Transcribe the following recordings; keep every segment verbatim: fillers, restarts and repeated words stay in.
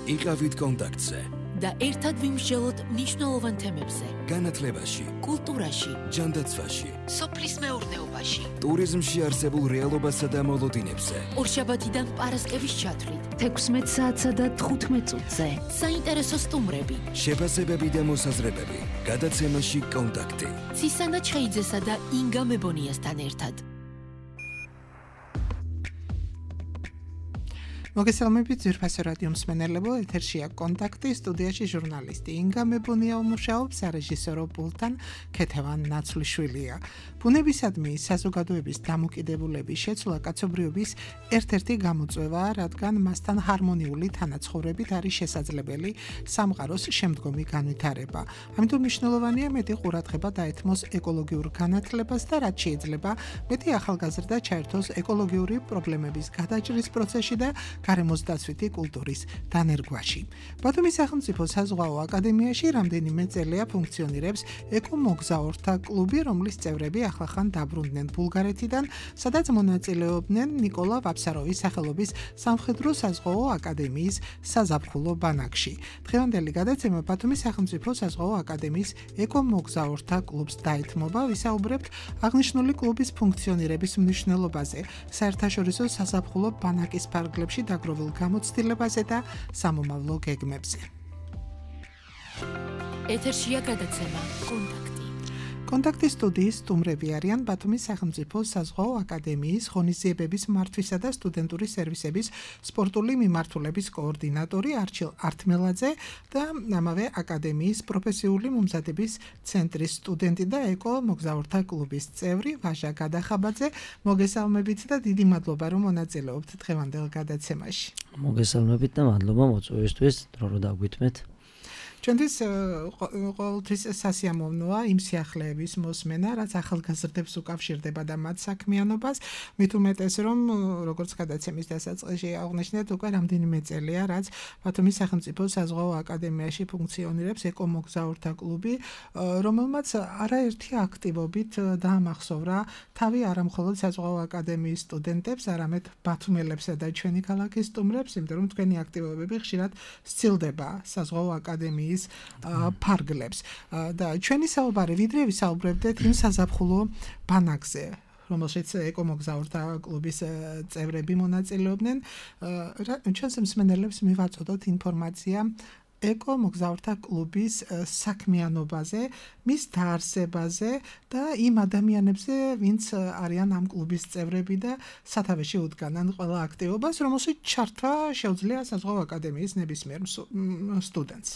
იყავით კონტაქტზე და ერთად ვიმსჯელოთ მნიშვნელოვან თემებზე. განათლებაში, კულტურაში, ჯანდაცვაში, სოფლის მეურნეობაში, ტურიზმში არსებულ რეალობასა და მოლოდინებზე. ორშაბათიდან პარასკევის ჩათვლით, თექვსმეტ საათსა და თხუთმეტ წუთზე. საინტერესო სტუმრები, შეფასებები და მოსაზრებები. გადაცემაში კონტაქტი. ცისანა ჩხეიძესა და ინგა მებონიასთან ერთად. მოგესალმებით ძვირფასო რადიო მსმენელებო, ეთერშია კონტაქტი, სტუდიაში ჟურნალისტი ინგა მებონია მუშაობს, სარეჟისორო პულტთან ქეთევან ნაცვლიშვილია. ბუნებისადმი საზოგადოების დამოკიდებულების შეცვლა კაცობრიობის ერთ-ერთი გამოწვევაა, რადგან მასთან ჰარმონიული თანაცხოვრებით არის შესაძლებელი სამყაროს შემდგომი განვითარება. ამიტომ მნიშვნელოვანია მეტი ყურადღება დაეთმოს ეკოლოგიურ განათლებას და რაც შეიძლება მეტი ახალგაზრდა ჩაერთოს ეკოლოგიური პრობლემების გადაჭრის პროცესში და გარემოს დაცვითი კულტურის დანერგვაში. ბათუმის სახელმწიფო საზღვაო აკადემიაში რამდენიმე წელია ფუნქციონირებს ეკომოგზაურთა კლუბი, რომლის წევრები ახლახან დაბრუნდნენ ბულგარეთიდან, სადაც მონაწილეობდნენ ნიკოლა ვაფსაროვის სახელობის სამხედრო საზღვაო აკადემიის საზაფხულო ბანაკში. დღევანდელი გადაცემა ბათუმის სახელმწიფო საზღვაო აკადემიის ეკომოგზაურთა კლუბს დაეთმობა, ვისაუბრებთ აღნიშნული კლუბის ფუნქციონირების მნიშვნელობაზე, საერთაშორისო საზაფხულო ბანაკის ფარგლებში დაგროვილ გამოცდილებაზე და სამომავლო გეგმებზე. ეთერშია გადაცემა კონტაქტი. კონტაქტის სტუდიის სტუმრები არიან ბათუმის სახელმწიფო საზღვაო აკადემიის ღონისძიებების მართვისა და სტუდენტური სერვისების სპორტული მიმართულების კოორდინატორი არჩილ ართმელაძე და ამავე აკადემიის პროფესიული მომზადების ცენტრის სტუდენტი და ეკო მოგზაურთა კლუბის წევრი ვაჟა გადახაბაძე. მოგესალმებით და დიდი მადლობა რომ მონაწილეობთ დღევანდელ გადაცემაში. მოგესალმებით და მადლობა მოწვევისთვის, დრო რომ დაგვითმეთ. ჩვენთვის ყოველთვის სასიამოვნოა იმ სიახლეების მოსმენა, რაც ახალგაზრდებს უკავშირდება და მათ საქმიანობას, მით უმეტეს რომ როგორც გადაცემის დასაწყისში აღნიშნეთ, უკვე რამდენიმე წელია, რაც ბათუმის სახელმწიფო საზღვაო აკადემიაში ფუნქციონირებს ეკომოგზაურთა კლუბი, რომელმაც არაერთი აქტივობით დაამახსოვრა თავი არამხოლოდ საზღვაო აკადემიის სტუდენტებს, არამედ ბათუმელებსა და ჩვენი ქალაქის სტუმრებს, იმიტომ რომ თქვენი აქტივობები ხშირად სცილდება საზღვაო აკადემიის ფარგლებს და ჩვენი საუბარი ვიდრე ვისაუბრებდეთ იმ საზაფხულო ბანაკზე, რომელშიც ეკომოგზაურთა კლუბის წევრები მონაწილეობდნენ, ჩვენს მსმენელებს მივაწოდოთ ინფორმაცია ეკომოგზაურთა კლუბის საქმიანობაზე, მის დაარსებაზე და იმ ადამიანებზე, ვინც არიან ამ კლუბის წევრები და სათავეში უდგანან ყველა აქტივობას, რომელშიც ჩართვა შეუძლია საზღვაო აკადემიის ნებისმიერ სტუდენტს.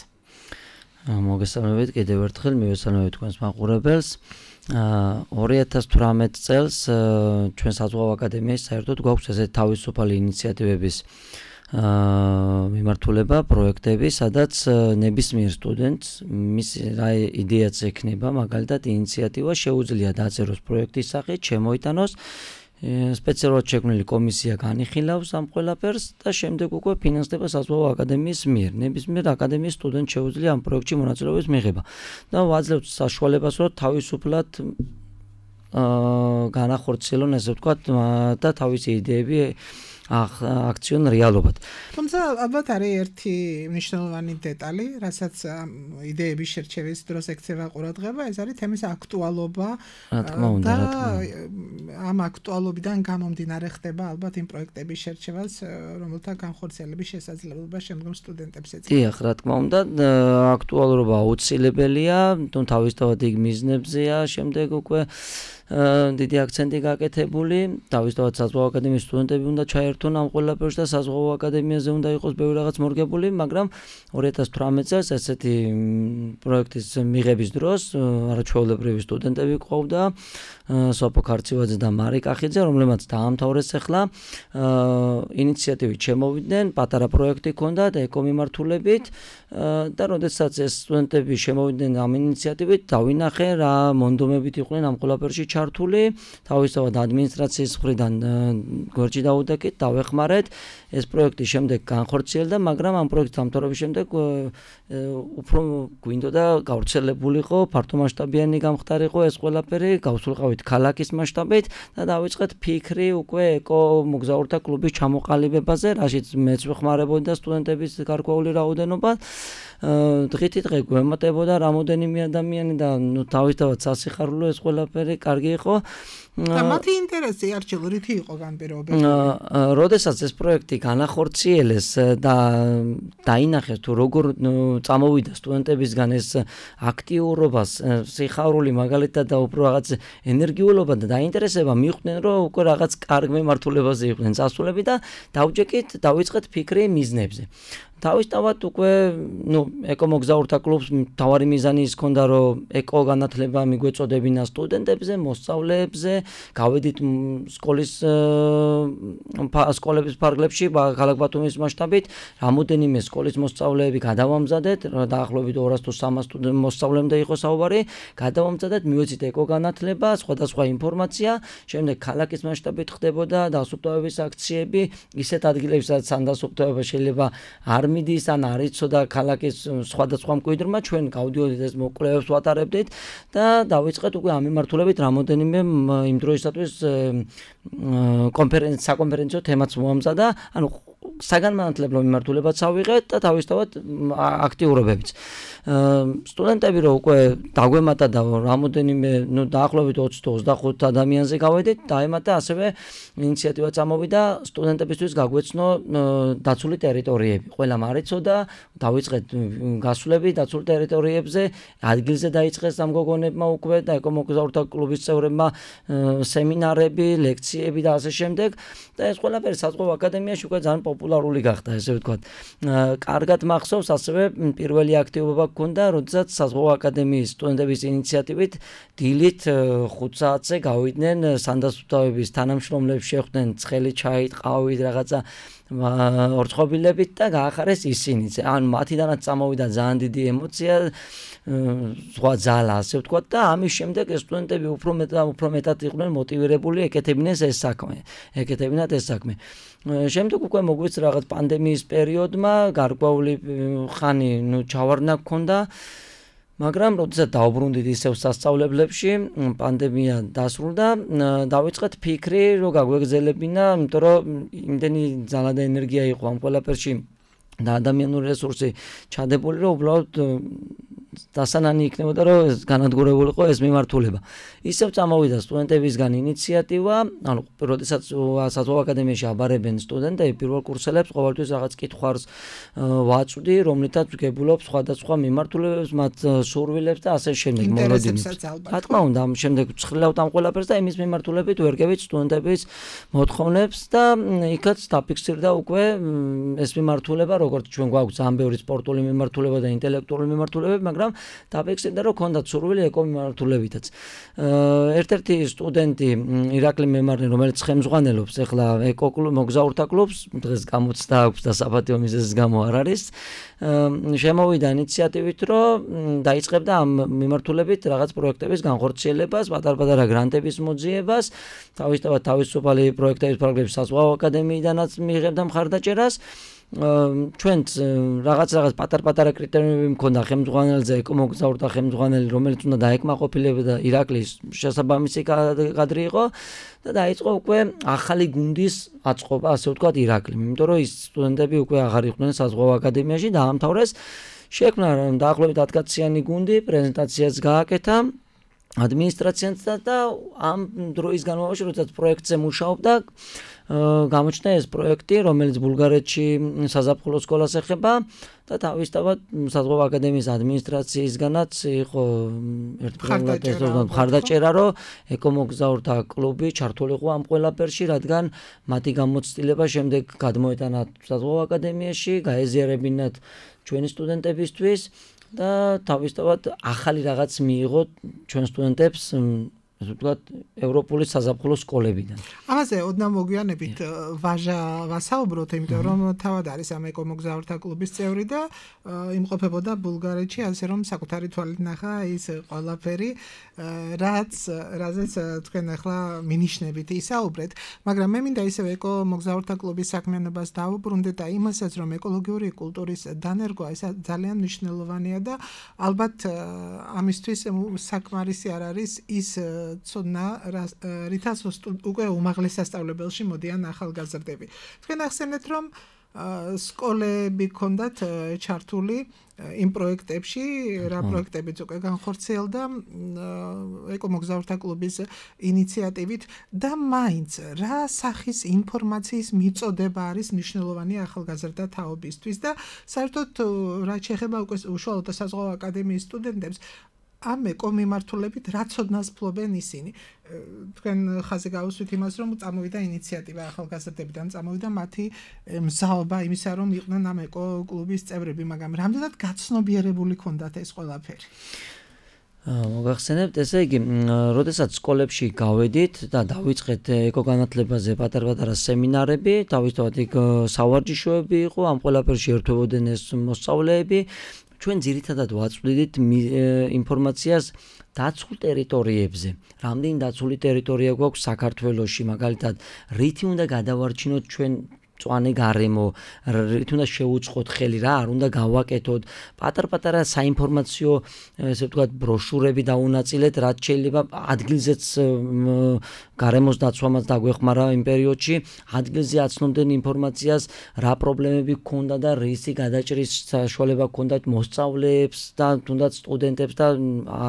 მოგესალმებით კიდევ ერთხელ, მივესალმებით თქვენს მაყურებელს. ორი ათას თვრამეტ წელს ჩვენ საზღვაო აკადემიაში საერთოდ გვაქვს ესეთი თავისუფალი ინიციატივების მიმართულება, პროექტები, სადაც ნებისმიერ სტუდენტს მის რა იდეაც ექნება, მაგალითად ინიციატივა შეუძლია დაწეროს პროექტის სახით, შემოიტანოს, სპეციალურად შექმნილი კომისია განიხილავს ამ ყველაფერს და შემდეგ უკვე ფინანსდება საზღვაო აკადემიის მიერ. ნებისმიერ აკადემიის სტუდენტს შეუძლია ამ პროექტში მონაწილეობის მიღება და ვაძლევთ საშუალებას, რომ თავისუფლად განახორციელონ, ესე ვთქვათ, და თავისი იდეები აქციონ რეალობად. თუმცა ალბათ არის ერთი მნიშვნელოვანი დეტალი, რასაც იდეების შერჩევის დროს ექცევა ყურადღება, ეს არის თემის აქტუალობა და ამ აქტუალობიდან გამომდინარე ხდება ალბათ იმ პროექტების შერჩევაც, რომელთა განხორციელების შესაძლებლობა შემდგომ სტუდენტებს ეწევს. დიახ, რა თქმა უნდა, აქტუალობა აუცილებელია, თუმცა თავისთავად იქ მიზნებზეა, შემდეგ უკვე დიდი აქცენტი გაკეთებული, თავისთავად საზღვაო აკადემიის სტუდენტები უნდა ჩაერთონ ამ ყველაფერში და საზღვაო აკადემიაზე უნდა იყოს ბევრი რაღაც მორგებული, მაგრამ ორი ათას თვრამეტ წელს ესეთი პროექტის მიღების დროს არაჩვეულებრივი სტუდენტები ყავდა, სოფო ქარცივაძე და მარი კახიძე, რომლებმაც დაამთავრეს ახლა ინიციატივით შემოვიდნენ, პატარა პროექტი ჰქონდათ ეკომიმართულებით და როდესაც ეს სტუდენტები შემოვიდნენ ამ ინიციატივით, დავინახე რა მონდომებით იყვნენ ამ ყველაფერში ჩართული ჩართული, თავისთავად ადმინისტრაციის მხრიდან გვერდში დაუდეკით, დავეხმარეთ. ეს პროექტი შემდეგ განხორციელდა, მაგრამ ამ პროექტის დამთავრების შემდეგ უფრო გვინდოდა გავრცელებულიყო, ფართომასშტაბიანი გამხდარიყო ეს ყველაფერი, გავსულყავით ქალაქის მასშტაბით და დავიწყეთ ფიქრი უკვე ეკო მოგზაურთა კლუბის ჩამოყალიბებაზე, რაშიც მეც ვეხმარებოდი და სტუდენტების გარკვეული რაოდენობა. დღითი დღე გვემატებოდა რამოდენიმე ადამიანი და ნუ თავისთავად სასიხარულო ეს ყველაფერი კარგი იყო. და მათი ინტერესი არჩილ რითი იყო განპირობებული? როდესაც ეს პროექტი განახორციელეს და დაინახეს თუ როგორ წამოვიდა სტუდენტებისგან ეს აქტიურობას, სიხარული მაგალითად და უფრო რაღაც ენერგიულობა და დაინტერესება, მიხვდნენ რომ უკვე რაღაც კარგ მემართულებაზე იყვნენ წასულები და დავჯექით, დავიწყეთ ფიქრი მიზნებზე. თავისთავად უკვე ნუ ეკო მოგზაურთა კლუბს მთავარი მიზანი ის ჰქონდა რომ ეკო განათლება მიგვეწოდებინა სტუდენტებზე, მოსწავლეებზე, გავედით სკოლის სკოლების ფარგლებში ქალაქ ბათუმის მასშტაბით, რამოდენიმე სკოლის მოსწავლეები გადავამზადეთ, დაახლოებით ორას თუ სამას მოსწავლემდე იყო საუბარი, გადავამზადეთ, მივეცით ეკო განათლება, სხვადასხვა ინფორმაცია, შემდეგ ქალაქის მასშტაბით ხდებოდა დასუფთავების აქციები, ისეთ ადგილებში სადაც ამ დასუფთავება შეიძლება არ მიდის ან არ იცოდა ქალაქის სხვადასხვა მკვიდრმა, ჩვენ გავდიოდით ეს მოკვლევებს ვატარებდით და დავიწყეთ უკვე ამ მიმართულებით რამოდენიმე იმ დროისათვის კონფერენცია საკონფერენციო თემაც მოამზადა, ანუ საგანმანათლებლო მიმართულებაც ავიღეთ და თავისთავად აქტიურობებიც. სტუდენტები რო უკვე დაგვემატა და რამოდენიმე, ნუ დაახლოებით ოცი თუ ოცდახუთ ადამიანზე გავედით, დაემატა ასევე ინიციატივა წამოვიდა სტუდენტებისთვის გაგვეცნო დაცული ტერიტორიები. ყველამ არ იცოდა, დავიწყეთ გასვლები დაცულ ტერიტორიებზე, ადგილზე დაიწყეს ამ გოგონებმა უკვე და ეკო მოგზაურთა კლუბის წევრებმა სემინარები, ლექციები და ასე შემდეგ და ეს ყველაფერი საზღვაო აკადემიაში უკვე ძალიან პოპულარული გახდა, ესე ვთქვათ. კარგად მახსოვს ასევე პირველი აქტივობა გქონდა, როდესაც საზღვაო აკადემიის სტუდენტების ინიციატივით დილით ხუთ საათზე გავიდნენ სანდასუფთავების თანამშრომლებს, შეხვდნენ ცხელი ჩაით, ყავით, რაღაცა ორწყობილებით და გაახარეს ისინიც. ანუ მათიდანაც წამოვიდა ძალიან დიდი ემოცია, სხვა ძალა, ასე ვთქვათ და ამის შემდეგ ეს სტუდენტები უფრო მეტად უფრო მეტად იყვნენ მოტივირებული, ეკეთებინეს ეს საქმე, ეკეთებინათ ეს საქმე. შემდეგ უკვე მოგვიც რაღაც პანდემიის პერიოდმა გარკვეული ხანი ნუ ჩავარდნა გქონდა, მაგრამ როდესაც დავბრუნდით ისევ სასწავლებლებში, პანდემია დასრულდა, დავიწყეთ ფიქრი, რომ გაგვეგზელებინა, იმიტომ რომ იმდენი ძალა და ენერგია იყო ამ ყველაფერში და ადამიანური რესურსი ჩადებული, რომ უბრალოდ დასანანი იქნებოდა, რომ განადგურებულიყო ეს მიმართულება. ისევ წამოვიდა სტუდენტებისგან ინიციატივა, ანუ როდესაც საზღვაო აკადემიაში აბარებენ სტუდენტები პირველ კურსელებს, ყოველთვის რაღაც კითხვას ვაწვდი, რომლითაც ვგებულობ სხვადასხვა მიმართულებებს, მათ სურვილებს და ასე შემდეგ მოლოდინებს. რა თქმა უნდა, ამ შემდეგ ვცხრილავთ ამ ყველაფერს და იმის მიმართულებით ვერგებით სტუდენტების მოთხოვნებს და იქაც დაფიქსირდა უკვე ეს მიმართულება, როგორც ჩვენ გვაქვს ძალიან ბევრი სპორტული მიმართულება და ინტელექტუალური მიმართულებები, მაგრამ დაფიქსირდა რომ ქონდათ სურვილი ეკო მიმართულებითაც. ერთ-ერთი სტუდენტი ირაკლი მემარნე, რომელიც ხელმძღვანელობს ახლა ეკო მოგზაურთა კლუბს, დღეს გამოცდა აქვს და საპატიო მიზეზის გამო არ არის, შემოვიდა ინიციატივით, რომ დაიწყებდა ამ მიმართულებით რაღაც პროექტების განხორციელებას, პატარ-პატარა გრანტების მოძიებას, თავისთავად თავისუფალი პროექტების პროგრამების საზღვაო აკადემიიდანაც მიიღებდა მხარდაჭერას. ჩვენც რაღაც რაღაც პატარ-პატარა კრიტერიუმები მქონდა ხელმძღვანელზე, ეკო მოგზაურთა ხელმძღვანელი, რომელიც უნდა დაეკმაყოფილებდა ირაკლის შესაბამისი კადრი იყო და დაიწყო უკვე ახალი გუნდის აწყობა, ასე ვთქვათ, ირაკლი. იმიტომ რომ ის სტუდენტები უკვე აღარ იყვნენ საზღვაო აკადემიაში, დაამთავრეს, შექმნა დაახლოებით ათკაციანი გუნდი, პრეზენტაციაც გააკეთა ადმინისტრაციასთან და ამ დროის განმავლობაში, როდესაც პროექტზე მუშაობდა, გამოჩნდა ეს პროექტი, რომელიც ბულგარეთში საზაფხულო სკოლას ეხება და თავისთავად საზღვაო აკადემიის ადმინისტრაციისგანაც იყო ერთგვარად მხარდაჭერა, რომ ეკო მოგზაურთა კლუბი ჩართულიყო ამ ყველაფერში, რადგან მათი გამოცდილება შემდეგ გადმოეტანა საზღვაო აკადემიაში, გაეზიარებინათ ჩვენი სტუდენტებისთვის და თავისთავად ახალი რაღაც მიიღო ჩვენ სტუდენტებს ასე ვთქვათ, ევროპული საზაფხულო სკოლებიდან. ამაზე ოდნავ მოგვიანებით ვაჟა ვასაუბროთ, იმიტომ რომ თავად არის ამ ეკომოგზაურთა კლუბის წევრი და იმყოფებოდა ბულგარეთში, ასე რომ საკუთარი თვალით ნახა ის ყველაფერი, რაც რაზეც თქვენ ახლა მინიშნებით ისაუბრეთ, მაგრამ მე მინდა ისევ ეკომოგზაურთა კლუბის საქმიანობას დავუბრუნდეთ და იმასაც, რომ ეკოლოგიური კულტურის დანერგვა ეს ძალიან მნიშვნელოვანია და ალბათ ამისთვის საკმარისი არ არის ის ცოდნა, რითაც უკვე უმაღლეს სასწავლებელში მოდიან ახალგაზრდები. თქვენ ახსენეთ, რომ სკოლები ქონდათ ჩართული იმ პროექტებში, რა პროექტებიც უკვე განხორციელდა ეკომოგზაურთა კლუბის ინიციატივით და მაინც რა სახის ინფორმაციის მიწოდება არის მნიშვნელოვანი ახალგაზრდა თაობისთვის და საერთოდ რაც შეეხება უკვე უშუალოდ საზღვაო აკადემიის სტუდენტებს ამ ეკომიმართულებით რა ცოდნას ფლობენ ისინი. თქვენ ხაზი გავუსვით იმას, რომ წამოვიდა ინიციატივა ახალგაზრდებიდან, წამოვიდა მათი მზაობა იმისა, რომ იყვნენ ამ ეკო-კლუბის წევრები, მაგრამ რამდენად გაცნობიერებული ქონდათ ეს ყველაფერი? მოგახსენებთ, ესე იგი, როდესაც სკოლებში გავედით და დავიწყეთ ეკოგანათლებაზე პატარ-პატარა სემინარები, თავისთავად იქ სავარჯიშოები იყო, ამ ყველაფერში ერთვებოდნენ ეს მოსწავლეები. ჩვენ ძირითადად ვაწვდით ინფორმაციას დაცულ ტერიტორიებზე. რამდენი დაცული ტერიტორია გვაქვს საქართველოში, მაგალითად, რითი უნდა გადავარჩინოთ ჩვენ მწვანე გარემო, რით უნდა შევუწყოთ ხელი, რა არ უნდა გავაკეთოთ. პატარ-პატარა საინფორმაციო, ესე ვთქვათ, ბროშურები დაუნაწილეთ, რაც შეიძლება ადგილზეც გარემოს დაცვამაც დაგვეხმარა იმ პერიოდში, ადგილზე აცნობდნენ ინფორმაციას, რა პრობლემები ჰქონდა და რისი გადაჭრის საშუალება ჰქონდათ მოსწავლეებს და თუნდაც სტუდენტებს და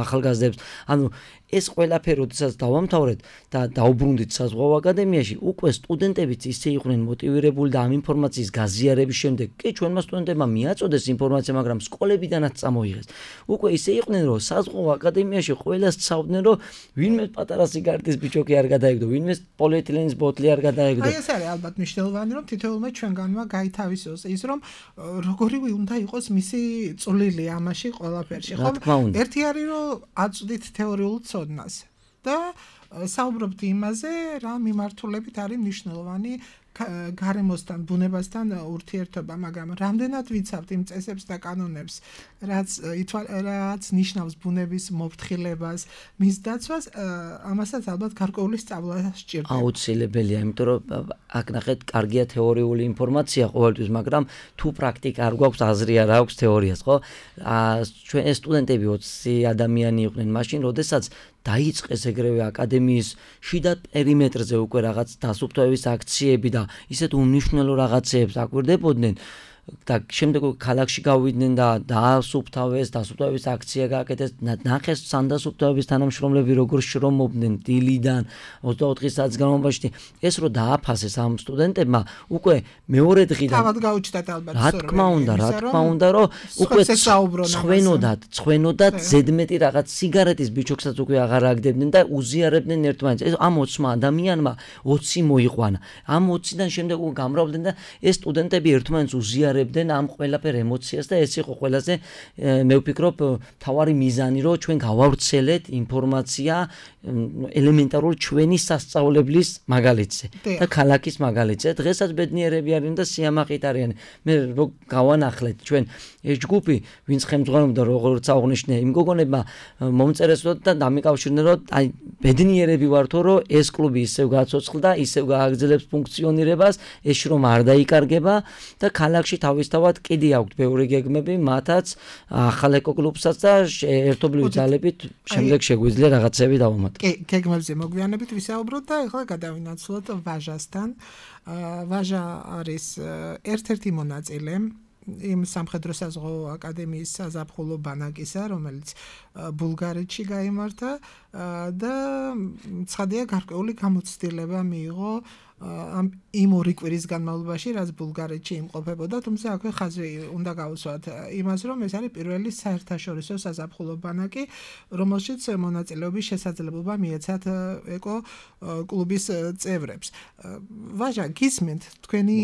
ახალგაზრდებს. ანუ ეს ყველაფერი როდესაც დავამთავრეთ და დაუბრუნდით საზღვაო აკადემიაში, უკვე სტუდენტებიც ისე იყვნენ მოტივირებული და ამ ინფორმაციის გაზიარების შემდეგ, კი ჩვენმა სტუდენტებმა მიაწოდეს ინფორმაცია, მაგრამ სკოლებიდანაც წამოიღეს. უკვე ისე იყვნენ, რომ საზღვაო აკადემიაში ყველას ცავდნენ, რომ ვინმე პატარა სიგარეტის ბიჭოკი არ გადაეგდო, ვინმე პოლიეთილენის ბოთლი არ გადაეგდო. აი ეს არის ალბათ მნიშვნელოვანი, რომ თითოეულმა ჩვენგანმა გაითავისოს ის, რომ როგორი უნდა იყოს მისი წვლილი ამაში ყველაფერში. ხომ? ერთი არის, რომ აწვდით თეორიულ ცოდნას და საუბრობთ იმაზე, რა მიმართულებით არის მნიშვნელოვანი გარემოსთან, ბუნებასთან ურთიერთობა, მაგრამ რამდენად ვიცავთ იმ წესებს და კანონებს, რაც რაც ნიშნავს ბუნების მოფრთხილებას, მის დაცვას, ამასაც ალბათ გარკვეული სწავლა სჭირდება. აუცილებელია, იმიტომ რომ აქ ნახეთ, კარგია თეორიული ინფორმაცია ყოველთვის, მაგრამ თუ პრაქტიკა არ გვაქვს, აზრი არ აქვს თეორიას, ხო? ჩვენ ეს სტუდენტები ოცი ადამიანი იყვნენ მაშინ, როდესაც დაიწყეს ეგრევე აკადემიის შიდა პერიმეტრზე უკვე რაღაც დასუფთავების აქციები და ისეთ უმნიშვნელო რაღაცეებს აკვირდებოდნენ და შემდეგ ქალაქში გავიდნენ და დაასუფთავეს, დასუფთავების აქცია გააკეთეს, ნახეს სანდასუფთავების თანამშრომლები როგორ შრომობდნენ დილიდან ოცდაოთხი საათის განმავლობაში. ეს რო დააფასეს ამ სტუდენტებმა, უკვე მეორე დღიდან თავად გაუჩნდათ ალბათ რა თქმა უნდა, რა თქმა უნდა, რომ უკვე ცხვენოდათ, ცხვენოდათ ზედმეტი რაღაც სიგარეტის ბიჭოქსაც უკვე აღარ აგდებდნენ და უზიარებდნენ ერთმანეთს. ეს ამ ოცმა ადამიანმა ოცი მოიყვანა. ამ ოციდან შემდეგ უკვე გამრავდნენ და ეს სტუდენტები ერთმანეთს უზიარებდნენ ამ ყველაფერ ემოციას და ეს იყო ყველაზე მე ვფიქრობ თავარი მიზანი, რომ ჩვენ გავავრცელეთ ინფორმაცია ელემენტარული ჩვენი სასწავლებლის მაგალითზე და ქალაქის მაგალითზე. დღესაც ბედნიერები არიან და სიამაყით არიან. მე რო გავანახლეთ ჩვენ ეს ჯგუფი, ვინც ხელმძღვანელობდა, როგორც აღნიშნე, იმ გოგონებმა მომწერეს და დამიკავშირდნენ, რომ აი ბედნიერები ვართო, რომ ეს კლუბი ისევ გაცოცხლდა, ისევ გააგრძელებს ფუნქციონირებას, ეს რომ არ დაიკარგება და ქალაქში თავისთავად კიდე აქვთ ბევრი გეგმები, მათაც ახალ ეკოკლუბსაც და ერთობლივი ძალებით შემდეგ შეგვიძლია რაღაცები დავამატოთ. კი, გეგმებზე მოგვიანებით ვისაუბროთ და ახლა გადავინაცვლოთ ვაჟასთან. ვაჟა არის ერთ-ერთი მონაწილე იმ სამხედრო საზღვაო აკადემიის საზაფხულო ბანაკისა, რომელიც ბულგარეთში გაიმართა და ცხადია გარკვეული გამოცდილება მიიღო ამ იმ ორი კვირის განმავლობაში, რაც ბულგარეთში იმყოფებოდა, თუმცა აქვე ხაზი უნდა გავუსვათ იმას, რომ ეს არის პირველი საერთაშორისო საზაფხულო ბანაკი, რომელშიც მონაწილეობის შესაძლებლობა მიეცათ ეკო კლუბის წევრებს. ვაჟა, გისმენთ თქვენი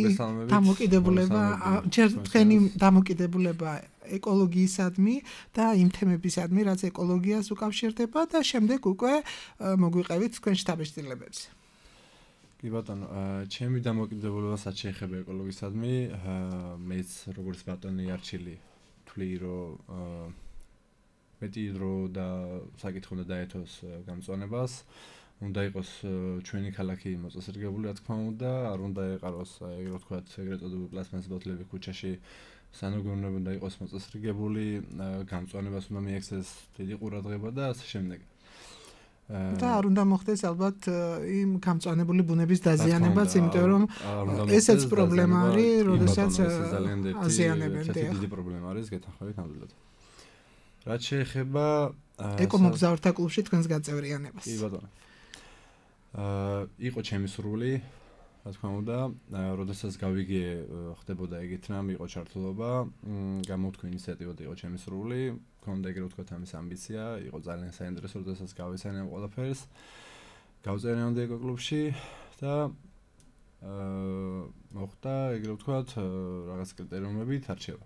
დამოკიდებულება, ჯერ თქვენი დამოკიდებულება ეკოლოგიისადმი და იმ თემებისადმი, რაც ეკოლოგიას უკავშირდება და შემდეგ უკვე მოგვიყევით თქვენ შთაბეჭდილებებზე. კი ბატონო, ჩემი დამოკიდებულებასაც შეეხება ეკოლოგიისადმი, მეც როგორც ბატონი არჩილი ვთვლი, რომ მეტი დრო და საკითხი უნდა დაეთოს გამწვანებას, უნდა იყოს ჩვენი ქალაქი მოწესრიგებული, რა თქმა უნდა, არ უნდა ეყაროს, ეგრე ვთქვათ, ეგრეთ წოდებული პლასმასის ბოთლები ქუჩაში, სანოგრუნები უნდა იყოს მოწესრიგებული, გამწვანებას უნდა მიექცეს დიდი ყურადღება და ასე შემდეგ. და არ უნდა მოხდეს ალბათ იმ გამწვანებული ბუნების დაზიანებაც, იმიტომ რომ ესეც პრობლემა არის, როდესაც აზიანებენ. დიდი პრობლემა არის, გეთანხმებით ნამდვილად. რაც შეეხება ეკომოგზაურთა კლუბში თქვენს გაწევრიანებას. კი ბატონო. აა იყო ჩემი სურვილი, რა თქმა უნდა, როდესაც გავიგე ხდებოდა ეგეთ რამ, იყო ჩართულობა, გამოვთქვი ინიციატივა და იყო ჩემი სურვილი, მქონდა ეგრე ვთქვათ ამის ამბიცია, იყო ძალიან საინტერესო, როდესაც გავიცანე ამ ყველაფერს. გავწერიანდი ეკოკლუბში და აა მოხდა ეგრე ვთქვათ რაღაც კრიტერიუმებით არჩევა.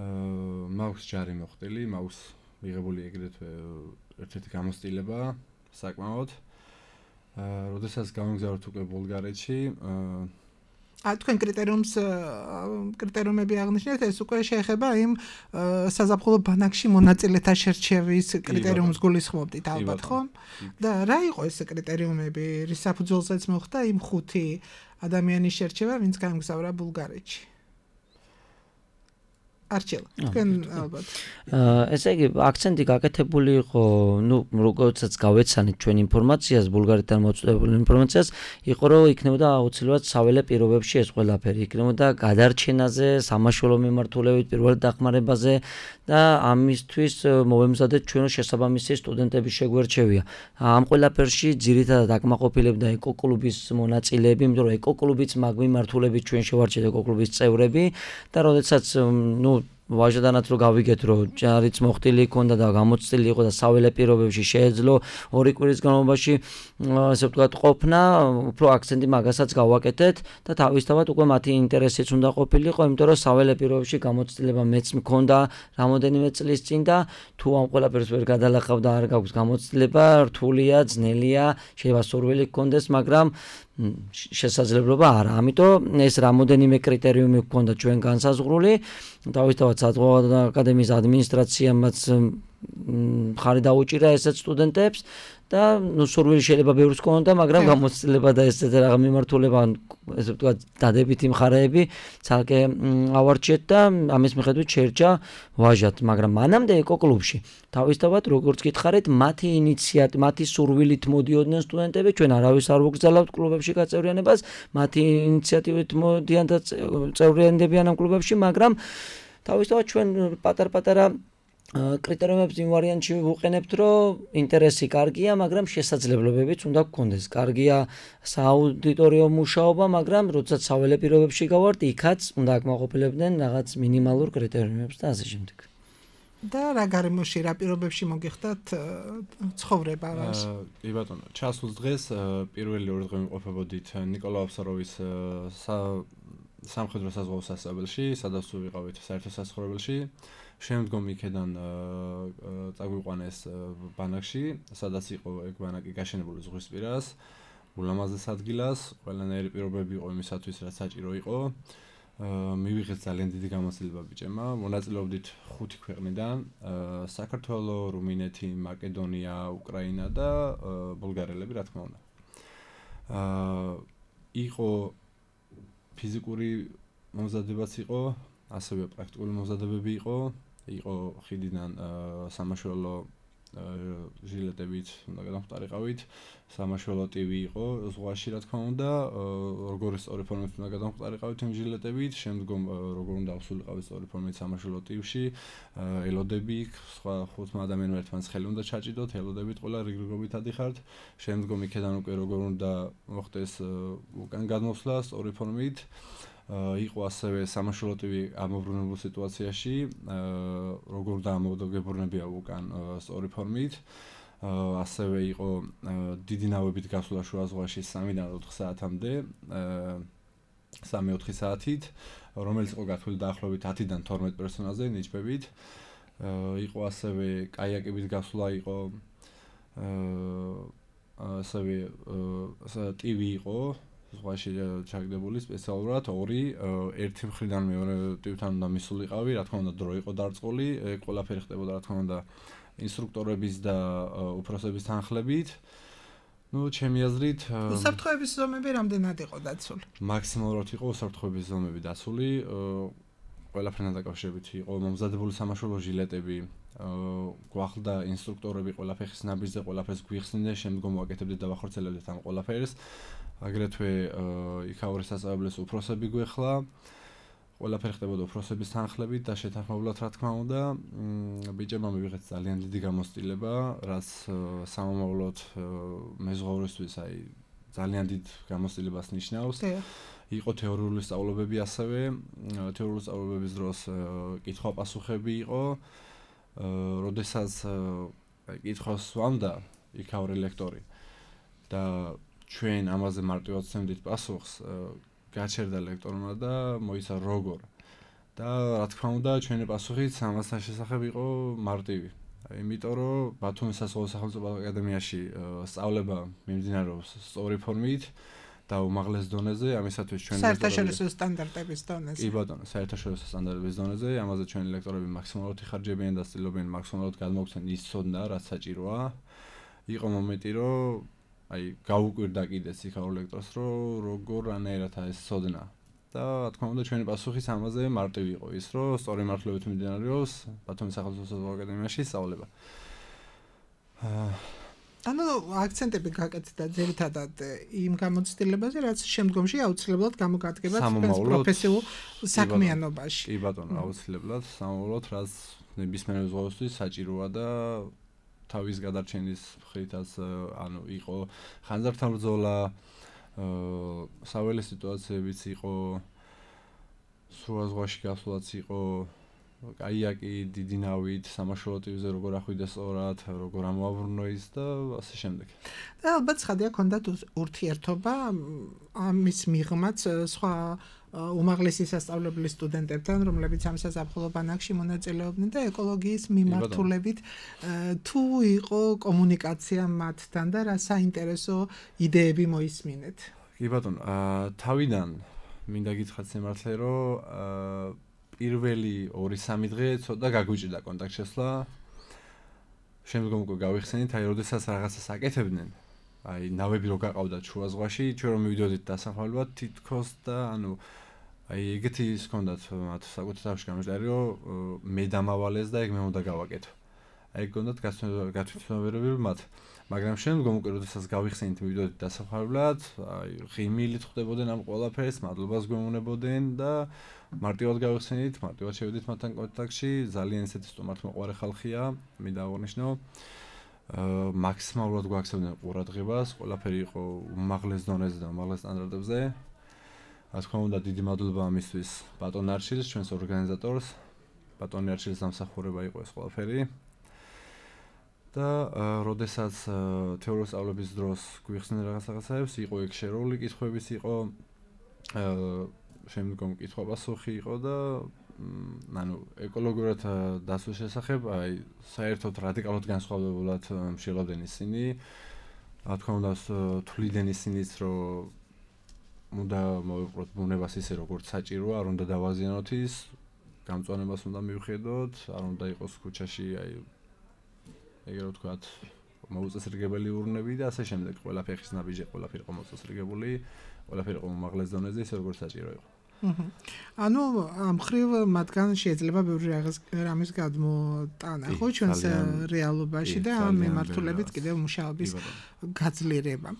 აა მაქვს ჯარი მოხდილი, მაქვს მიღებული ეგრეთვე ერთ-ერთი გამოცდილება საკმაოდ. აა როდესაც გავგზავნეთ უკვე ბულგარეთში, აა თქვენ კრიტერიუმს კრიტერიუმები აღნიშნეთ, ეს უკვე შეეხება იმ საზაფხულო ბანაკში მონაწილეთა შერჩევის კრიტერიუმს გულისხმობდით ალბათ, ხო? და რა იყო ეს კრიტერიუმები, რის საფუძველზეც მოხდა იმ ხუთი ადამიანის შერჩევა, ვინც გამგზავრა ბულგარეთში? არჩელა, თქვენ ალბათ. ესე იგი, აქცენტი გაკეთებული იყო, ну, როგორცაც გავეცანით ჩვენ ინფორმაციას, ბულგარეთიდან მოწვეული ინფორმაციას, იყო რომ იქნებოდა აუცილებლად საველე პირობებში ეს ყველაფერი, იქნებოდა გადარჩენაზე, სამაშველო მიმართულებით, პირველად დახმარებაზე და ამისთვის მოვემზადეთ ჩვენ შესაბამისი სტუდენტების შეგვერჩევია. ამ ყველაფერში ძირითადად აკმაყოფილებდა ეკოკლუბის მონაწილეები, იმიტომ რომ ეკოკლუბის მაგ მიმართულებით ჩვენ შევარჩიეთ ეკოკლუბის წევრები და როდესაც, ну, ვაჟადანაც რო გავიგეთ რომ ჯარიც მოხდილი ქონდა და გამოცდილი იყო და საველე პირობებში შეეძლო ორი კვირის განმავლობაში ასე ვთქვათ ყოფნა, უფრო აქცენტი მაგასაც გავაკეთეთ და თავისთავად უკვე მათი ინტერესიც უნდა ყოფილიყო, იმიტომ რომ საველე პირობებში გამოცდილება მეც მქონდა რამოდენიმე წლის წინ და თუ ამ ყველაფერს ვერ გადალახავ და არ გაქვს გამოცდილება, რთულია, ძნელია, შეიძლება სურვილი გქონდეს, მაგრამ შესაძლებლობა არა. ამიტომ ეს რამოდენიმე კრიტერიუმი გქონდა ჩვენ განსაზღვრული. თავისთავად საზღვაო აკადემიის ადმინისტრაციამაც მხარი დაუჭირა ესეთ სტუდენტებს და ნუ სურვილი შეიძლება ბევრს ქონოდა, მაგრამ გამოცდილება და ესეთ რაღაც მიმართულება, ესე ვთქვათ, დადებითი მხარეები ცალკე ავარჩიეთ და ამის მიხედვით შეერჩა ვაჟად, მაგრამ მანამდე ეკოკლუბში თავისთავად როგორც გითხარით, მათი ინიციატივა, მათი სურვილით მოდიოდნენ სტუდენტები, ჩვენ არავის არ ვგზავნებთ კლუბებში გაწევრიანებას, მათი ინიციატივით მოდიან და წევრიანდებიან ამ კლუბებში, მაგრამ თავისთავად ჩვენ პატარ-პატარა კრიტერიუმებს იმ ვარიანტში ვუყენებთ, რომ ინტერესი კარგია, მაგრამ შესაძლებლობებიც უნდა გქონდეს. კარგია სააუდიტორიო მუშაობა, მაგრამ როდესაც საველე პირობებში გავართ, იქაც უნდა აკმაყოფილებდნენ რაღაც მინიმალურ კრიტერიუმებს და ასე შემდეგ. და რა გარემოში, რა პირობებში მოგიხდათ ცხოვრება რას? კი ბატონო, ჩასულ დღეს პირველი ორი დღე ვიმყოფებოდით ნიკოლა ოფსაროვის სამხედრო საზღვაო სასწავლებელში, სადაც ვიყავით საერთო სასწავლებელში. შემდგომ იქედან წაგვიყვანეს ბანაკში, სადაც იყო ეგ ბანაკი გაშენებული ზღვისპირას, ულამაზეს ადგილას, ყველანაირი პირობები იყო იმისათვის, რაც საჭირო იყო. მივიღეთ ძალიან დიდი გამოცდილება ბიჭებმა, მონაწილეობდით ხუთი ქვეყნიდან, საქართველო, რუმინეთი, მაკედონია, უკრაინა და ბულგარელები, რა თქმა უნდა. იყო ფიზიკური მომზადებაც იყო, ასევე პრაქტიკული მომზადებები იყო, იყო ხიდიდან სამაშველო ჟილეტებით უნდა გადამხტარიყავით, სამაშველო ტივი იყო ზღვაში, რა თქმა უნდა, როგორი სწორი ფორმით უნდა გადამხტარიყავით იმ ჟილეტებით, შემდგომ როგორ უნდა ავსულიყავით სწორი ფორმით სამაშველო ტივში, ელოდები, სხვა ხუთმა ადამიანმა ერთმანეთს ხელი უნდა ჩაჭიდოთ, ელოდებით ყველა რიგრიგობით ადიხართ, შემდგომ იქედან უკვე როგორ უნდა მოხდეს უკან გადმოსვლა სწორი ფორმით. იყო ასევე სამაშველო ტივი ამობრუნებულ სიტუაციაში, როგორ დაამოდგებურნებია უკან სწორი ფორმით. ასევე იყო დიდი ნავებით გასვლა შუა ზღვაში სამიდან ოთხ საათამდე. სამი-ოთხი საათით, რომელიც იყო გათვლილი დაახლოებით ათიდან თორმეტ პერსონაჟზე ნიჭბებით. იყო ასევე კაიაკებით გასვლა იყო ასევე ტივი იყო ზღვაში ჩაგდებული სპეციალურად ორი ერთი მხრიდან მეორე ტივთან უნდა მისულიყავი, რა თქმა უნდა დრო იყო დარწყული, ყველაფერი ხდებოდა რა თქმა უნდა ინსტრუქტორების და უფროსების თანხლებით. Ну, ჩემი აზრით, უსაფრთხოების ზომები რამდენად იყო დაცული? მაქსიმალურად იყო უსაფრთხოების ზომები დაცული, ყველაფერთან დაკავშირებით იყო მომზადებული სამაშველო ჟილეტები, გვახლდა ინსტრუქტორები ყველაფერს ნაბიჯზე, ყველაფერს გვიხსნიდნენ, შემდგომ ვაკეთებდით და ვახორციელებდით ამ ყველაფერს. აგრეთვე იქაური სასწავლებლის უფროსები გვეხლა. ყველაფერი ხდებოდა უფროსების თანხლებით და შეთანხმებულად რა თქმა უნდა, ბიჭებმა მივიღეთ ძალიან დიდი გამოცდილება, რაც სამომავლოდ მეზღვაურისთვის აი ძალიან დიდ გამოცდილებას ნიშნავს. იყო თეორიული სწავლობები ასევე, თეორიული სწავლობების დროს კითხვა-პასუხები იყო. როდესაც კითხვას სვამდა იქაური ლექტორი და ჩვენ ამაზე მარტივად ვცემდით პასუხს, გაჩერდა ლექტორმა და მოიცა როგორ. და რა თქმა უნდა, ჩვენი პასუხიც ამასთან შესახებ იყო მარტივი. იმიტომ რომ ბათუმის სასწავლო სახელმწიფო აკადემიაში სწავლება მიმდინარეობს სწორი ფორმით და უმაღლეს დონეზე, ამისათვის ჩვენი საერთაშორისო სტანდარტების დონეზე. კი ბატონო, საერთაშორისო სტანდარტების დონეზე, ამაზე ჩვენი ლექტორები მაქსიმალურად იხარჯებიან და ცდილობენ მაქსიმალურად გადმოგცენ ის ცოდნა, რაც საჭიროა. იყო მომენტი, რომ აი გაუკვირდა კიდეც იქაურ ლექტორს, რომ როგორ რანაირად ეს ცოდნა. და რა თქმა უნდა, ჩვენი პასუხიც ამაზე მარტივი იყო ის, რომ სწორი მართლობით მიმდინარეობს ბათუმის სახელმწიფო აკადემიაში სწავლება. ანუ აქცენტები გაკეთდა ძირითადად იმ გამოცდილებაზე, რაც შემდგომში აუცილებლად გამოგადგება პროფესიულ საქმიანობაში. კი ბატონო, აუცილებლად სამომავლოდ, რაც ნებისმიერ მეზღვაურისთვის საჭიროა და თავის გადარჩენის მხრითაც ანუ იყო ხანძართან ბრძოლა, საველე სიტუაციებიც იყო, სრულ ზღვაში გასვლაც იყო, კაიაკი დიდი ნავით, სამაშველო ტივზე როგორ ახვიდა სწორად, როგორ ამოაბრუნო ის და ასე შემდეგ. და ალბათ ხადია ქონდათ ურთიერთობა ამის მიღმაც სხვა უმაღლესი სასწავლებელი სტუდენტებთან, რომლებიც ამ საზაფხულო ბანაკში მონაწილეობდნენ და ეკოლოგიის მიმართულებით თუ იყო კომუნიკაცია მათთან და რა საინტერესო იდეები მოისმინეთ. კი ბატონო, თავიდან მინდა გითხრათ სიმართლე, რომ პირველი ორი-სამი დღე ცოტა გაგვიჭირდა კონტაქტ შესვლა. შემდგომ უკვე გავიხსენით, აი როდესაც რაღაცას აკეთებდნენ, აი ნავები რო გაყავდათ შუა ზღვაში, ჩვენ რომ მივიდოდით დასახმარებლად თითქოს და ანუ აი ეგეთი ის ჰქონდათ მათ საკუთარ თავში გამჟდარი, რომ მე დამავალეს და ეგ მე უნდა გავაკეთო. აი ეგ ჰქონდათ გათვითცნობიერებული მათ. მაგრამ შემდგომ უკვე როდესაც გავიხსენით მივიდოდით დასახმარებლად, აი ღიმილით ხვდებოდნენ ამ ყველაფერს, მადლობას გვეუბნებოდნენ და მარტივად გავიხსენით, მარტივად შევიდით მათთან კონტაქტში, ძალიან ისეთი სტუმართმოყვარე ხალხია, მინდა აღნიშნო. მაქსიმალურად გვაქცევდნენ ყურადღებას, ყველაფერი იყო უმაღლეს დონეზე და უმაღლეს სტანდარტებზე. რა თქმა უნდა, დიდი მადლობა ამისთვის ბატონ არჩილს, ჩვენს ორგანიზატორს. ბატონ არჩილის დამსახურება იყო ეს ყველაფერი. და როდესაც თეორიული სწავლების დროს გვიხსნენ რაღაც რაღაცებს, იყო ეგ შერეული კითხვებიც იყო, შემდგომ კითხვა-პასუხი იყო და ანუ ეკოლოგიურად დასვლის შესახებ, აი საერთოდ რადიკალურად განსხვავებულად მშილობდნენ ისინი. რა თქმა უნდა, თვლიდნენ ისინიც, რომ უნდა მოვიყვროთ ბუნებას ისე როგორც საჭიროა, არ უნდა დავაზიანოთ ის, გამწვანებას უნდა მივხედოთ, არ უნდა იყოს ქუჩაში აი ეგრე ვთქვათ, მოუწესრიგებელი ურნები და ასე შემდეგ, ყველაფერი ხის ნაბიჯი, ყველაფერი იყო მოწესრიგებული, ყველაფერი იყო უმაღლეს დონეზე, ისე როგორც საჭირო იყო. ანუ ამ ხრივ მათგან შეიძლება ბევრი რამის გადმოტანა, ხო, ჩვენს რეალობაში და ამ მიმართულებით კიდევ მუშაობის გაძლიერება.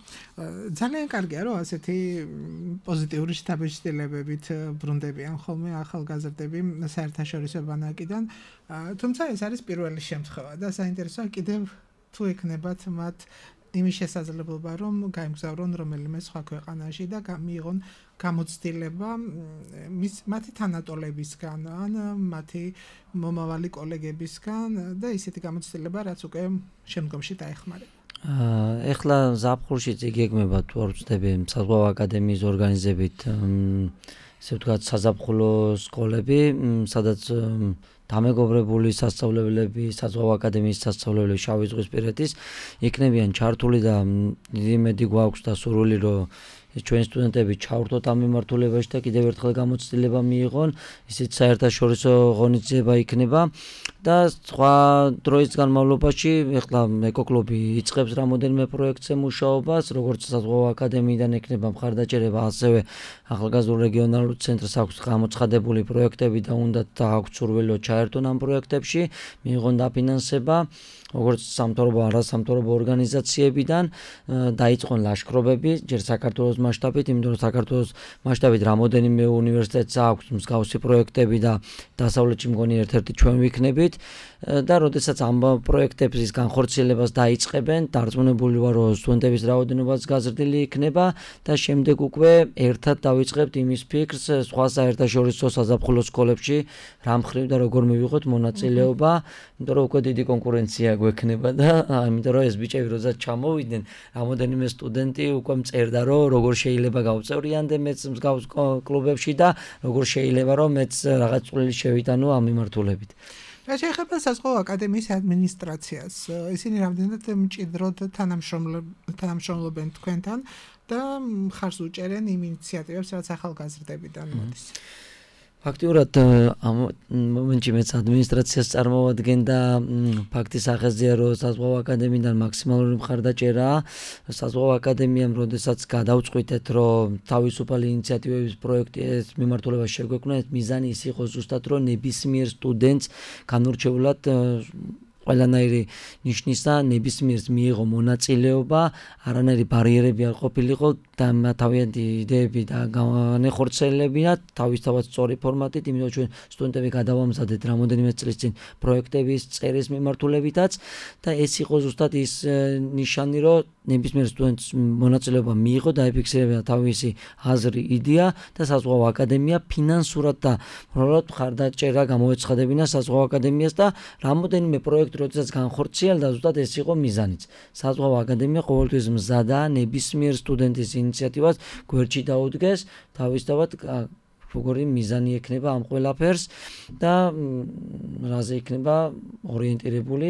ძალიან კარგია, რომ ასეთი პოზიტიური შთაბეჭდილებებით ბრუნდებიან ხოლმე ახალგაზრდები საერთაშორისო ბანაკიდან, თუმცა ეს არის პირველი შემთხვევა და საინტერესოა კიდევ თუ ექნებათ მათ იმის შესაძლებლობა, რომ გაემგზავრონ რომელიმე სხვა ქვეყანაში და მიიღონ გამოცდილება მათი თანატოლებისგან ან მათი მომავალი კოლეგებისგან და ისეთი გამოცდილება, რაც უკვე შემდგომში დაეხმარება. ეხლა ზაფხულში წიგეგმება თუ არ ვწდები საზღვაო აკადემიის ორგანიზებით ესე ვთქვათ საზაფხულო სკოლები, სადაც დამეგობრებული სასწავლებლები, საზღვაო აკადემიის სასწავლებლები შავი ზღვისპირეთის იქნებიან ჩართული და დიდი იმედი გვაქვს და სურვილი რომ ჩვენ სტუდენტები ჩავრთოთ ამ მიმართულებაში და კიდევ ერთხელ გამოცდილება მიიღონ, ისიც საერთაშორისო ღონისძიება იქნება და სხვა დროის განმავლობაში ეხლა ეკოკლუბი იწყებს რამოდენიმე პროექტზე მუშაობას, როგორც საზღვაო აკადემიიდან ექნება მხარდაჭერება, ასევე ახალგაზრდულ რეგიონალურ ცენტრს აქვს გამოცხადებული პროექტები და უნდა აქვს სურვილი ჩაერთონ ამ პროექტებში, მიიღონ დაფინანსება როგორც სამთავრობო არასამთავრობო ორგანიზაციებიდან დაიწყონ ლაშქრობები ჯერ საქართველოს მასშტაბით, იმიტომ რომ საქართველოს მასშტაბით რამოდენიმე უნივერსიტეტს აქვს მსგავსი პროექტები და დასავლეთში მგონი ერთ-ერთი ჩვენ ვიქნებით და როდესაც ამ პროექტების განხორციელებას დაიწყებენ, დარწმუნებული ვარ, რომ სტუდენტების რაოდენობაც გაზრდილი იქნება და შემდეგ უკვე ერთად დავიწყებთ იმის ფიქრს სხვა საერთაშორისო საზაფხულო სკოლებში რა მხრივ და როგორ მივიღოთ მონაწილეობა, იმიტომ რომ უკვე დიდი კონკურენცია გვექნება და იმიტომ რომ ეს ბიჭები როდესაც ჩამოვიდნენ, რამოდენიმე სტუდენტი უკვე მწერდა, რომ როგორ შეიძლება გავწევრიანდე მეც მსგავს კლუბებში და როგორ შეიძლება რომ მეც რაღაც წვლილი შევიტანო ამ მიმართულებით. რა შეეხება საზღვაო აკადემიის ადმინისტრაციას, ისინი რამდენად მჭიდროდ თანამშრომლობენ თქვენთან და მხარს უჭერენ იმ ინიციატივებს, რაც ახალგაზრდებიდან მოდის. ფაქტიურად ამ მომენტში მეც ადმინისტრაციას წარმოვადგენ და ფაქტის ახაზია, რომ საზღვაო აკადემიიდან მაქსიმალური მხარდაჭერაა. საზღვაო აკადემიამ როდესაც გადავწყვიტეთ, რომ თავისუფალი ინიციატივების პროექტის მიმართულებას შეგვექმნა, მიზანი ის იყო ზუსტად, რომ ნებისმიერ სტუდენტს განურჩეულად ყველანაირი ნიშნისა ნებისმიერს მიიღო მონაწილეობა, არანაირი ბარიერები არ ყოფილიყო და თავიანთი იდეები და განეხორციელებინა თავისთავად სწორი ფორმატით, იმიტომ ჩვენ სტუდენტები გადავამზადეთ რამოდენიმე წლის წინ პროექტების წერის მიმართულებითაც და ეს იყო ზუსტად ის ნიშანი, რომ ნებისმიერ სტუდენტს მონაწილეობა მიიღო, დაიფიქსირებინა თავისი აზრი, იდეა და საზღვაო აკადემია ფინანსურად და მორალურად მხარდაჭერა გამოეცხადებინა საზღვაო აკადემიას და რამოდენიმე პროექტი როდესაც განხორციელდა, ზუსტად ეს იყო მიზანიც. საზღვაო აკადემია ყოველთვის მზადაა ნებისმიერ სტუდენტის ინიციატივას გვერდში დაუდგეს, თავისთავად როგორი მიზანი ექნება ამ ყველაფერს და რაზე იქნება ორიენტირებული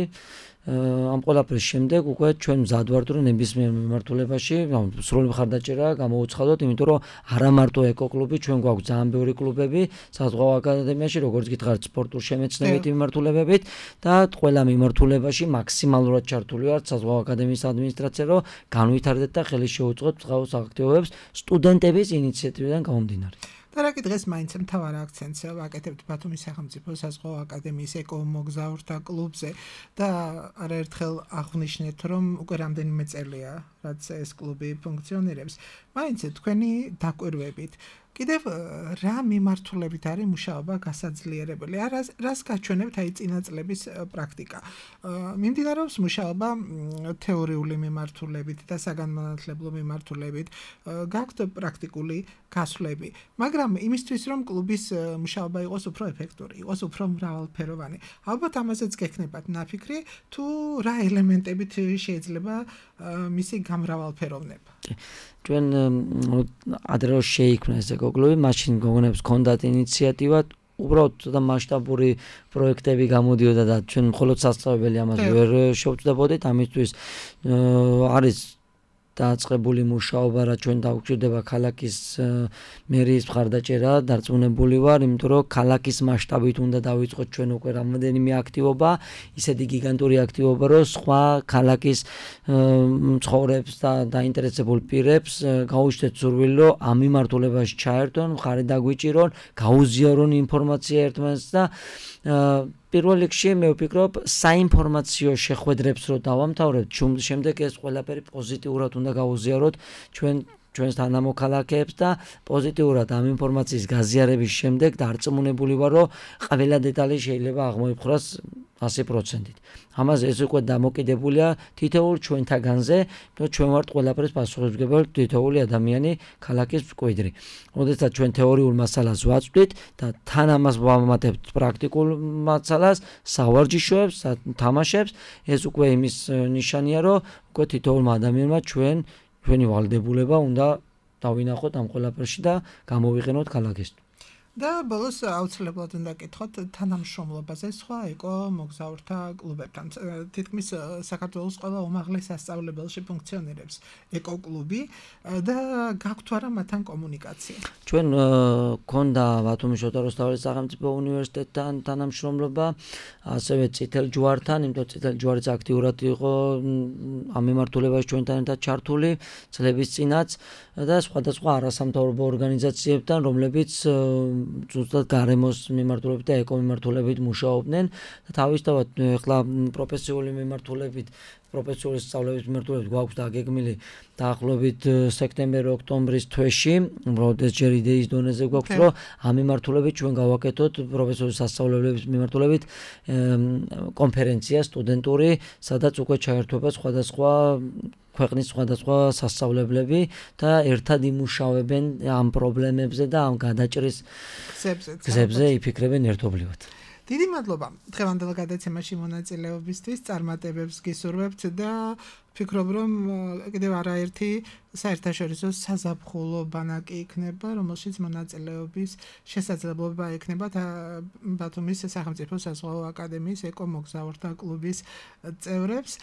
ამ ყველაფრის შემდეგ უკვე ჩვენ მზად ვართ, რომ ნებისმიერ მიმართულებაში სრული მხარდაჭერა გამოუცხადოთ, იმიტომ რომ არა მარტო ეკოკლუბი, ჩვენ გვაქვს ძალიან ბევრი კლუბები საზღვაო აკადემიაში, როგორც გითხარით, სპორტულ შემეცნებითი მიმართულებებით და ყველა მიმართულებაში მაქსიმალურად ჩართული ვართ საზღვაო აკადემიის ადმინისტრაცია, რომ განვითარდეთ და ხელი შეუწყოთ მსგავს აქტივობებს სტუდენტების ინიციატივიდან გამომდინარე. და რა კი დღეს მაინც მთავარ აქცენტს ვაკეთებთ ბათუმის სახელმწიფო საზღვაო აკადემიის ეკომოგზაურთა კლუბზე და არაერთხელ აღვნიშნეთ, რომ უკვე რამდენიმე წელია, რაც ეს კლუბი ფუნქციონირებს. მაინც თქვენი დაკვირვებით კიდევ რა მიმართულებით არის მუშაობა გასაძლიერებელი? რას გაჩვენებთ აი წინა წლების პრაქტიკა? მიმდინარეობს მუშაობა თეორიული მიმართულებით და საგანმანათლებლო მიმართულებით, გაქვთ პრაქტიკული გასვლები, მაგრამ იმისთვის რომ კლუბის მუშაობა იყოს უფრო ეფექტური, იყოს უფრო მრავალფეროვანი, ალბათ ამაზეც გექნებათ ნაფიქრი, თუ რა ელემენტებით შეიძლება მისი გამრავალფეროვნება? ჩვენ ადრე რომ შეიქმნა ეს ეკოკლუბი, მაშინ გოგონებს ჰქონდათ ინიციატივა, უბრალოდ და მასშტაბური პროექტები გამოდიოდა და ჩვენ მხოლოდ სასწავლებელი ამას ვერ შევწდებოდით, ამისთვის არის დაწყებული მუშაობა, რა ჩვენ დაგვჭირდება ქალაქის მერიის მხარდაჭერა, დარწმუნებული ვარ, იმიტომ რომ ქალაქის მასშტაბით უნდა დავიწყოთ ჩვენ უკვე რამოდენიმე აქტივობა, ისეთი გიგანტური აქტივობა, რომ სხვა ქალაქის მცხოვრებს და დაინტერესებულ პირებს გაუჩნდეთ სურვილი, რომ ამ მიმართულებაში ჩაერთონ, მხარი დაგვიჭირონ, გაუზიარონ ინფორმაცია ერთმანეთს და პირველ რიგში მე ვფიქრობ, საინფორმაციო შეხვედრებს რო დავამთავრებთ, შემდეგ ეს ყველაფერი პოზიტიურად უნდა გავუზიაროთ ჩვენ ჩვენს თანამოქალაქეებს და პოზიტიურად ამ ინფორმაციის გაზიარების შემდეგ დარწმუნებული ვარ, რომ ყველა დეტალი შეიძლება აღმოიფხვრას ასი პროცენტით. ამაზე ეს უკვე დამოკიდებულია თითოეულ ჩვენთაგანზე, იმიტომ ჩვენ ვართ ყველაფრის პასუხისმგებელი თითოეული ადამიანი ქალაქის მკვიდრი. როდესაც ჩვენ თეორიულ მასალას ვაწვდით და თან ამას ვამატებთ პრაქტიკულ მასალას, სავარჯიშოებს, თამაშებს, ეს უკვე იმის ნიშანია, რომ უკვე თითოეულმა ადამიანმა ჩვენ ჩვენი ვალდებულება უნდა დავინახოთ ამ ყველაფერში და გამოვიყენოთ ქალაქისთვის. და ბოლოს აუცილებლად უნდა გკითხოთ თანამშრომლობაზე სხვა ეკო მოგზაურთა კლუბებთან. თითქმის საქართველოს ყველა უმაღლეს სასწავლებელში ფუნქციონირებს ეკო კლუბი და გაქვთ არა მათთან კომუნიკაცია. ჩვენ გქონდა ბათუმის შოთა რუსთაველის სახელმწიფო უნივერსიტეტთან თანამშრომლობა, ასევე წითელ ჯვართან, იმიტომ წითელ ჯვარიც აქტიურად იყო ამ მიმართულებაში ჩვენთან ერთად ჩართული წლების წინაც და სხვადასხვა არასამთავრობო ორგანიზაციებთან, რომლებიც ზუსტად გარემოს მიმართულებით და ეკო მიმართულებით მუშაობდნენ და თავისთავად ახლა პროფესიული მიმართულებით პროფესიული სწავლების მიმართულებით გვაქვს დაგეგმილი დაახლოებით სექტემბერ-ოქტომბრის თვეში, როდესაც ჯერ იდეის დონეზე გვაქვს, რომ ამ მიმართულებით ჩვენ გავაკეთოთ პროფესიული სასწავლებლების მიმართულებით კონფერენცია სტუდენტური, სადაც უკვე ჩაერთვება სხვადასხვა ქვეყნის სხვადასხვა სასწავლებლები და ერთად იმუშავებენ ამ პრობლემებზე და ამ გადაჭრის გზებზე იფიქრებენ ერთობლივად. დიდი მადლობა დღევანდელ გადაცემაში მონაწილეობისთვის, წარმატებებს გისურვებთ და ვფიქრობ, რომ კიდევ არაერთი საერთაშორისო საზაფხულო ბანაკი იქნება, რომელშიც მონაწილეობის შესაძლებლობა ექნება ბათუმის სახელმწიფო საზღვაო აკადემიის ეკო მოგზაურთა კლუბის წევრებს.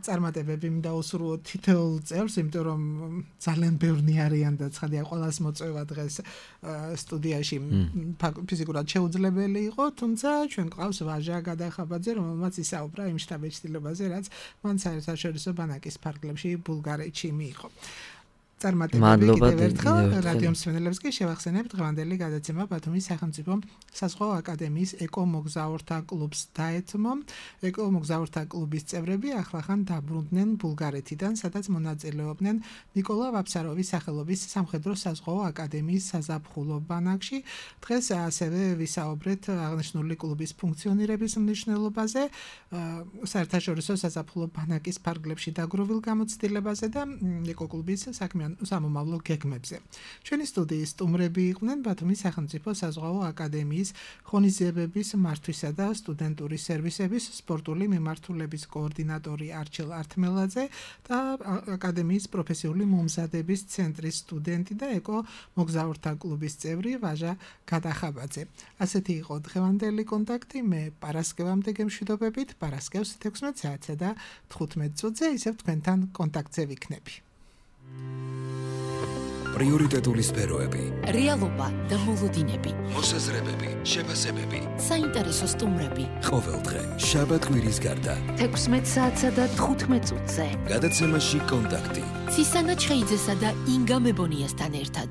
წარმატებები დაუსურვოთ თითოეულ წევრს, იმიტომ რომ ძალიან ბევრნი არიან და ცხადია ყველას მოწვევა დღეს სტუდიაში ფიზიკურად შეუძლებელი იყო, თუმცა ჩვენ გვყავს ვაჟა გადახაბაძე, რომელმაც ისაუბრა იმ შთაბეჭდილებაზე, რაც მან საერთაშორისო ბანაკის ფარგლებში ბულგარეთში მიიღო. წარმატებები კიდევ ერთხელ რადიო მსმენელებს კი შევახსენებთ დღევანდელი გადაცემა ბათუმის სახელმწიფო საზღვაო აკადემიის ეკო მოგზაურთა კლუბს დაეთმო. ეკო მოგზაურთა კლუბის წევრები ახლახან დაბრუნდნენ ბულგარეთიდან, სადაც მონაწილეობდნენ ნიკოლა ვაფსაროვის სახელობის სამხედრო საზღვაო აკადემიის საზაფხულო ბანაკში. დღეს ასევე ვისაუბრეთ აღნიშნული კლუბის ფუნქციონირების მნიშვნელობაზე, საერთაშორისო საზაფხულო ბანაკის ფარგლებში დაგროვილ გამოცდილებაზე და ეკო კლუბის საქმიან სამომავლო გეგმებზე. ჩვენი სტუდიის სტუმრები იყვნენ ბათუმის სახელმწიფო საზღვაო აკადემიის ღონისძიებების მართვისა და სტუდენტური სერვისების სპორტული მიმართულების კოორდინატორი არჩილ ართმელაძე და აკადემიის პროფესიული მომზადების ცენტრის სტუდენტი და ეკო მოგზაურთა კლუბის წევრი ვაჟა გადახაბაძე. ასეთი იყო დღევანდელი კონტაქტი. მე პარასკევამდე გემშვიდობებით, პარასკევს თექვსმეტ საათსა და თხუთმეტ წუთზე ისევ თქვენთან კონტაქტზე ვიქნები. პრიორიტეტული სფეროები, რეალობა და მოლოდინები, მოსაზრებები, შეფასებები, საინტერესო სტუმრები. ყოველდღე შაბათ-კვირის გარდა თექვსმეტ საათსა და თხუთმეტ წუთზე. გადაცემაში კონტაქტი. ცისანა ჩხეიძესა და ინგა მებონიასთან ერთად.